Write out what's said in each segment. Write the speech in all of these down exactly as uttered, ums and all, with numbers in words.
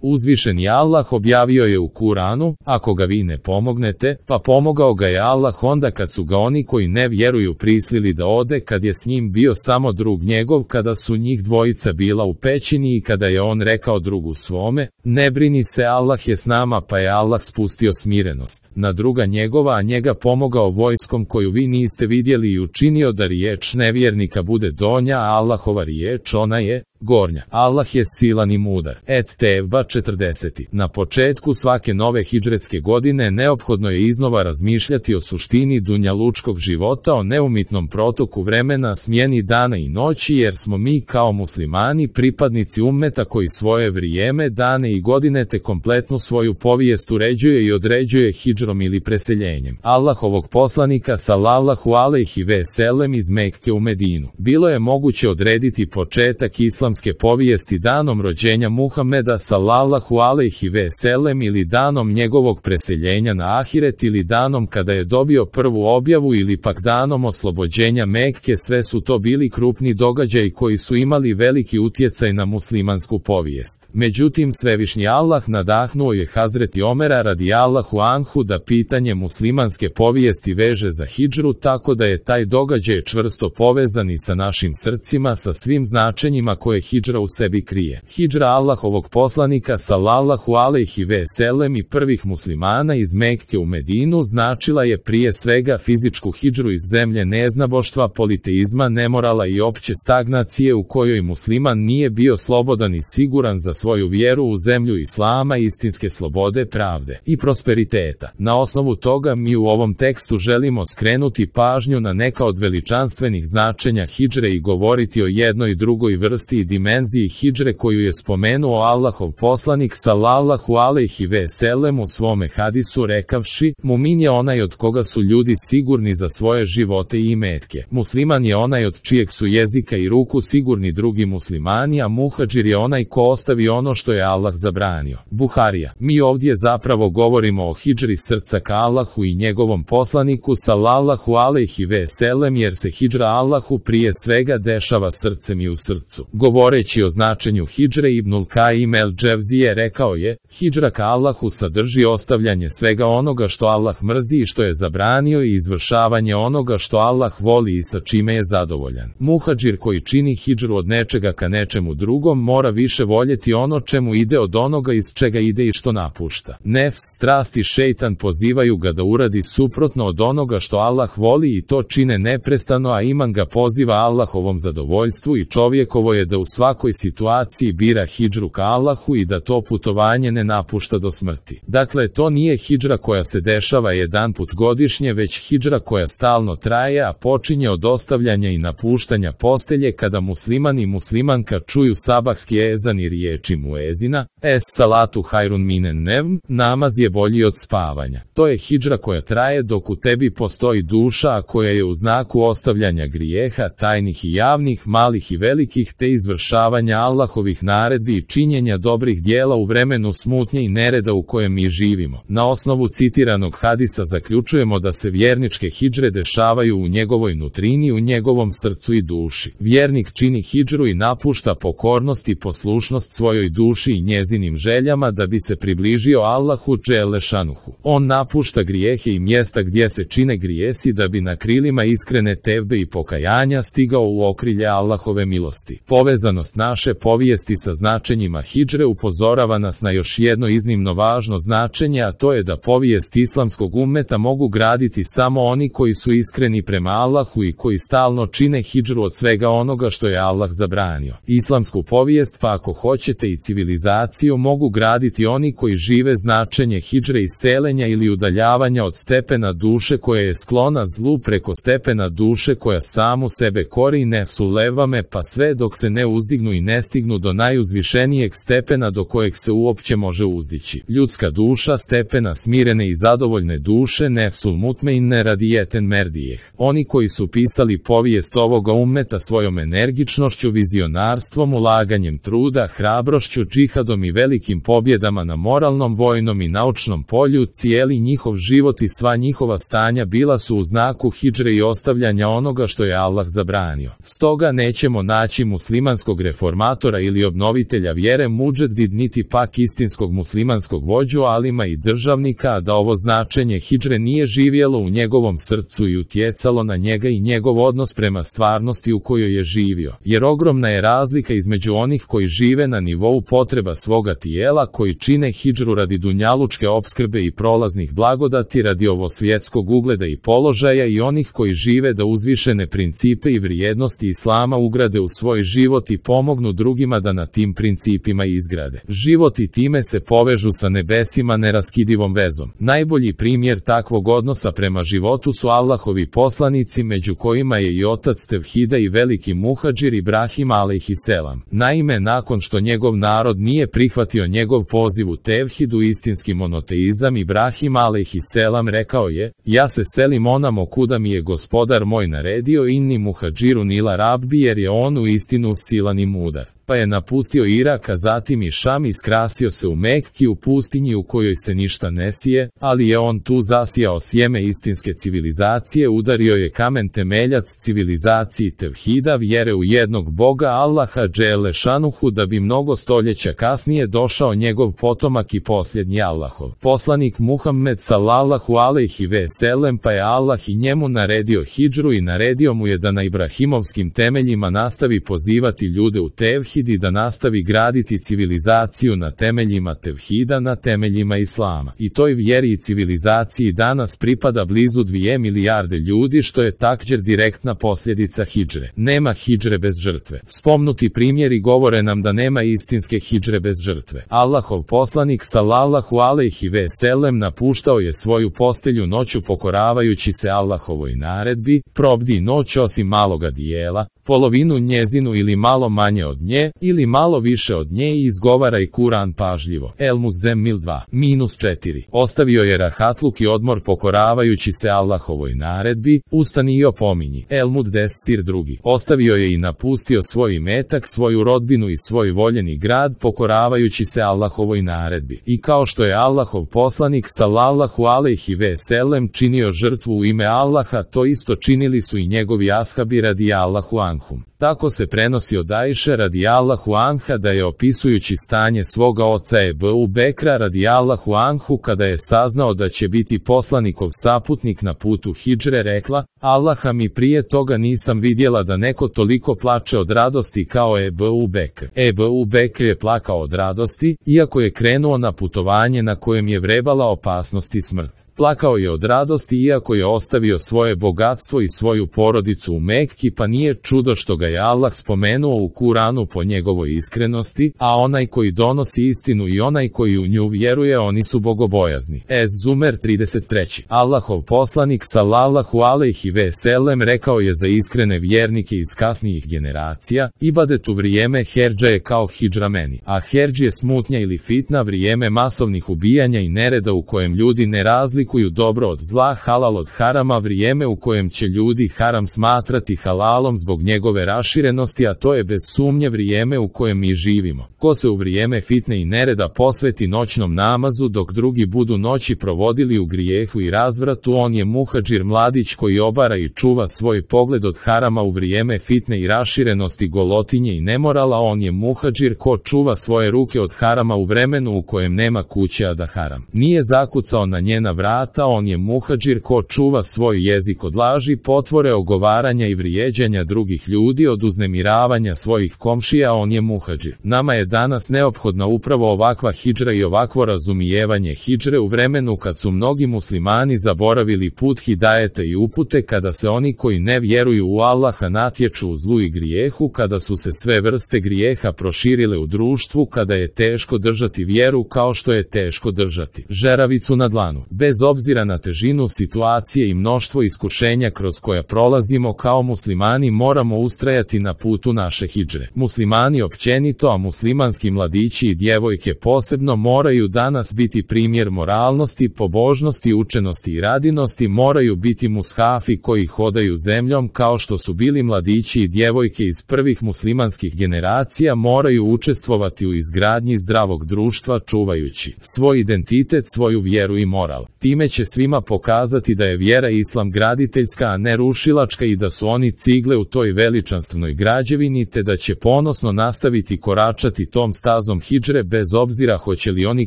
Uzvišeni Allah objavio je u Kuranu, ako ga vi ne pomognete, pa pomogao ga je Allah onda kad su ga oni koji ne vjeruju prisilili da ode, kad je s njim bio samo drug njegov, kada su njih dvojica bila u pećini i kada je on rekao drugu svome, ne brini se, Allah je s nama, pa je Allah spustio smirenost na druga njegova, a njega pomogao vojskom koju vi niste vidjeli i učinio da riječ nevjernika bude donja, a Allahova riječ ona je gornja. Allah je silan i mudar. Et Tevba četrdeset. Na početku svake nove hidžretske godine neophodno je iznova razmišljati o suštini dunjalučkog života, o neumitnom protoku vremena, smjeni dana i noći, jer smo mi kao muslimani pripadnici ummeta koji svoje vrijeme, dane i godine te kompletnu svoju povijest uređuje i određuje hidžrom ili preseljenjem Allahovog poslanika sallallahu alejhi ve sellem iz Mekke u Medinu. Bilo je moguće odrediti početak islamske povijesti danom rođenja Muhameda sallallahu alejhi ve sellem ili danom njegovog preseljenja na ahiret ili danom kada je dobio prvu objavu ili pak danom oslobođenja Mekke. Sve su to bili krupni događaji koji su imali veliki utjecaj na muslimansku povijest. Međutim, svevišnji Allah nadahnuo je Hazreti Omera radijallahu anhu da pitanje muslimanske povijesti veže za hidžru, tako da je taj događaj čvrsto povezan i sa našim srcima, sa svim značenjima koje hidžra u sebi krije. Hidžra Allahovog poslanika sallallahu alejhi ve sellem i prvih muslimana iz Mekke u Medinu značila je prije svega fizičku hidžru iz zemlje neznaboštva, politeizma, nemorala i opće stagnacije u kojoj musliman nije bio slobodan i siguran za svoju vjeru, u zemlju islama, istinske slobode, pravde i prosperiteta. Na osnovu toga mi u ovom tekstu želimo skrenuti pažnju na neka od veličanstvenih značenja hidžre i govoriti o jednoj drugoj vrsti i dimenziji hidžre koju je spomenuo Allahov poslanik sallallahu alejhi ve sellem u svome hadisu rekavši: mumin je onaj od koga su ljudi sigurni za svoje živote i imetke. Musliman je onaj od čijeg su jezika i ruku sigurni drugi muslimani, a muhadžir je onaj ko ostavi ono što je Allah zabranio. Buharija. Mi ovdje zapravo govorimo o hidžri srca ka Allahu i njegovom poslaniku sallallahu alejhi ve sellem, jer se hidžra Allahu prije svega dešava srcem i u srcu. Govoreći o značenju hidžre, Ibnul Kaim el Dževzije rekao je: hidžra ka Allahu sadrži ostavljanje svega onoga što Allah mrzi i što je zabranio i izvršavanje onoga što Allah voli i sa čime je zadovoljan. Muhadžir koji čini hidžru od nečega ka nečemu drugom mora više voljeti ono čemu ide od onoga iz čega ide i što napušta. Nefs, strast i šejtan pozivaju ga da uradi suprotno od onoga što Allah voli i to čine neprestano, a iman ga poziva Allahovom zadovoljstvu i čovjekovo je da u svakoj situaciji bira hidžru ka Allahu i da to putovanje ne napušta do smrti. Dakle, to nije hidžra koja se dešava jedan put godišnje, već hidžra koja stalno traje, a počinje od ostavljanja i napuštanja postelje kada musliman i muslimanka čuju sabahski ezan i riječi muezina: es salatu hajrun minen nevm, namaz je bolji od spavanja. To je hidžra koja traje dok u tebi postoji duša, a koja je u znaku ostavljanja grijeha, tajnih i javnih, malih i velikih, te izvršavanja Allahovih naredbi i činjenja dobrih dijela u vremenu smutnje i nereda u kojem mi živimo. Na osnovu citiranog hadisa zaključujemo da se vjerničke hidžre dešavaju u njegovoj nutrini, u njegovom srcu i duši. Vjernik čini hidžru i napušta pokornost i poslušnost svojoj duši i njezinim željama da bi se približio Allahu dželle šanuhu. On napušta grijehe i mjesta gdje se čine grijesi da bi na krilima iskrene tevbe i pokajanja stigao u okrilje Allahove milosti. Povezanost naše povijesti sa značenjima hidžre upozorava nas na još jedno iznimno važno značenje, a to je da povijest islamskog ummeta mogu graditi samo oni koji su iskreni prema Allahu i koji stalno čine hidžru od svega onoga što je Allah zabranio. Islamsku povijest, pa ako hoćete i civilizaciju, mogu graditi oni koji žive značenje hidžre iz selenja ili udaljavanja od stepena duše koja je sklona zlu preko stepena duše koja samu sebe kori nefsu levame, pa sve dok se ne uzdignu i ne stignu do najuzvišenijeg stepena do kojeg se uopće može može uzdići. Ljudska duša stepena smirene i zadovoljne duše nefsul mutmeine radijeten merdijeh. Oni koji su pisali povijest ovoga ummeta svojom energičnošću, vizionarstvom, ulaganjem truda, hrabrošću, džihadom i velikim pobjedama na moralnom, vojnom i naučnom polju, cijeli njihov život i sva njihova stanja bila su u znaku hidžre i ostavljanja onoga što je Allah zabranio. Stoga nećemo naći muslimanskog reformatora ili obnovitelja vjere mudžedid niti pak istinskog muslimanskog vođu, alima i državnika, a da ovo značenje hidžre nije živjelo u njegovom srcu i utjecalo na njega i njegov odnos prema stvarnosti u kojoj je živio. Jer ogromna je razlika između onih koji žive na nivou potreba svoga tijela, koji čine hidžru radi dunjalučke opskrbe i prolaznih blagodati, radi ovo svjetskog ugleda i položaja, i onih koji žive da uzvišene principe i vrijednosti islama ugrade u svoj život i pomognu drugima da na tim principima izgrade život i time se povežu sa nebesima neraskidivom vezom. Najbolji primjer takvog odnosa prema životu su Allahovi poslanici, među kojima je i otac tevhida i veliki muhadžir Ibrahim alejhiselam. Naime, nakon što njegov narod nije prihvatio njegov poziv u tevhidu, istinski monoteizam, Ibrahim alejhiselam rekao je: ja se selim onamo kuda mi je gospodar moj naredio, inni muhadžiru nila rabbi, jer je on u istinu silan i mudar. Pa je napustio Irak, a zatim i Šam, i skrasio se u Mekki, u pustinji u kojoj se ništa ne sije, ali je on tu zasijao sjeme istinske civilizacije, udario je kamen temeljac civilizaciji tevhida, vjere u jednog Boga Allaha dželle šanuhu, da bi mnogo stoljeća kasnije došao njegov potomak i posljednji Allahov poslanik Muhammed sallallahu alejhi ve sellem, pa je Allah i njemu naredio hidžru i naredio mu je da na ibrahimovskim temeljima nastavi pozivati ljude u tevhid i da nastavi graditi civilizaciju na temeljima tevhida, na temeljima islama. I toj vjeri i civilizaciji danas pripada blizu dvije milijarde ljudi, što je također direktna posljedica hidžre. Nema hidžre bez žrtve. Spomnuti primjeri govore nam da nema istinske hidžre bez žrtve. Allahov poslanik sallallahu alejhi ve sellem napuštao je svoju postelju noću pokoravajući se Allahovoj naredbi: probdi noć osim maloga dijela, polovinu njezinu ili malo manje od nje, ili malo više od nje, i izgovaraj Kuran pažljivo. El Muzzemmil dva minus četiri. Ostavio je rahatluk i odmor pokoravajući se Allahovoj naredbi: ustani i opominji. El Muddessir drugi. Ostavio je i napustio svoj imetak, svoju rodbinu i svoj voljeni grad pokoravajući se Allahovoj naredbi. I kao što je Allahov poslanik sallallahu alejhi ve sellem činio žrtvu u ime Allaha, to isto činili su i njegovi ashabi radi Allahu anhum. Tako se prenosi od Ajše radijallahu anha da je, opisujući stanje svoga oca Ebu Bekra radijallahu anhu, kada je saznao da će biti poslanikov saputnik na putu hidžre, rekla: Allaha mi, prije toga nisam vidjela da neko toliko plače od radosti kao Ebu Bekr. Ebu Bekr je plakao od radosti, iako je krenuo na putovanje na kojem je vrebala opasnost i smrt. Plakao je od radosti iako je ostavio svoje bogatstvo i svoju porodicu u Mekki, pa nije čudo što ga je Allah spomenuo u Kuranu po njegovoj iskrenosti, a onaj koji donosi istinu i onaj koji u nju vjeruje, oni su bogobojazni. Es Zumer trideset tri. Allahov poslanik sallallahu alejhi ve sellem rekao je za iskrene vjernike iz kasnijih generacija: ibadet u vrijeme herdža je kao hidžra meni, a herdž je smutnja ili fitna, vrijeme masovnih ubijanja i nereda u kojem ljudi ne razlikuju dobro od zla, halal od harama, vrijeme u kojem će ljudi haram smatrati halalom zbog njegove raširenosti, a to je bez sumnje vrijeme u kojem mi živimo. Ko se u vrijeme fitne i nereda posveti noćnom namazu dok drugi budu noći provodili u grijehu i razvratu, on je muhadžir, mladić koji obara i čuva svoj pogled od harama u vrijeme fitne i raširenosti, golotinje i nemorala, on je muhadžir ko čuva svoje ruke od harama u vremenu u kojem nema kuće, a da haram nije zakucao na njena vrata, on je muhadžir ko čuva svoj jezik od laži, potvore, ogovaranja i vrijeđanja drugih ljudi, od uznemiravanja svojih komšija, on je muhadžir. Nama je danas neophodna upravo ovakva hidžra i ovakvo razumijevanje hidžre u vremenu kad su mnogi muslimani zaboravili put hidajeta i upute, kada se oni koji ne vjeruju u Allaha natječu u zlu i grijehu, kada su se sve vrste grijeha proširile u društvu, kada je teško držati vjeru kao što je teško držati žeravicu na dlanu. Bez obzira na težinu situacije i mnoštvo iskušenja kroz koja prolazimo kao muslimani, moramo ustrajati na putu naše hidžre. Muslimani općenito, a muslimanski mladići i djevojke posebno moraju danas biti primjer moralnosti, pobožnosti, učenosti i radinosti, moraju biti mushafi koji hodaju zemljom kao što su bili mladići i djevojke iz prvih muslimanskih generacija, moraju učestvovati u izgradnji zdravog društva čuvajući svoj identitet, svoju vjeru i moral. Time će svima pokazati da je vjera islam graditeljska, a ne rušilačka i da su oni cigle u toj veličanstvenoj građevini, te da će ponosno nastaviti koračati tom stazom hidžre bez obzira hoće li oni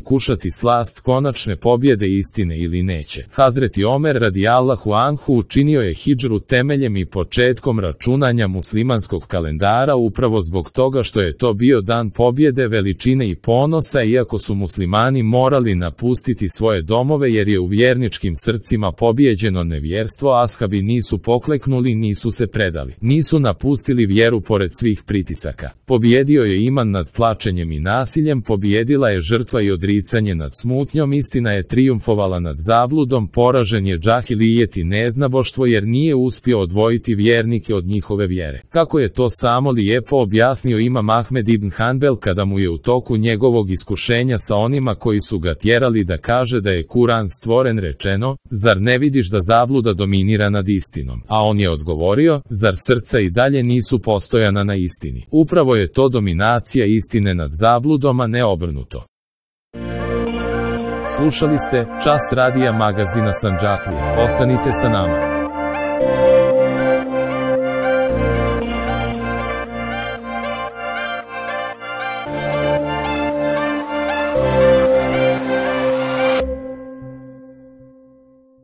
kušati slast konačne pobjede istine ili neće. Hazreti Omer radijallahu anhu učinio je hidžru temeljem i početkom računanja muslimanskog kalendara upravo zbog toga što je to bio dan pobjede, veličine i ponosa, iako su muslimani morali napustiti svoje domove jer je u vjerničkim srcima pobijeđeno nevjerstvo, ashabi nisu pokleknuli, nisu se predali, nisu napustili vjeru pored svih pritisaka. Pobjedio je iman nad tlačenjem i nasiljem, pobjedila je žrtva i odricanje nad smutnjom, istina je trijumfovala nad zabludom, poražen je džahilijet i neznaboštvo jer nije uspio odvojiti vjernike od njihove vjere. Kako je to samo lijepo objasnio imam Ahmed ibn Hanbel kada mu je u toku njegovog iskušenja sa onima koji su ga tjerali da kaže da je Kur'an stvoren rečeno: zar ne vidiš da zabluda dominira nad istinom? A on je odgovorio: zar srca i dalje nisu postojana na istini? Upravo je to dominacija istine nad zabludom, a ne obrnuto. Slušali ste Čas radija magazina Sandžaklija. Ostanite sa nama.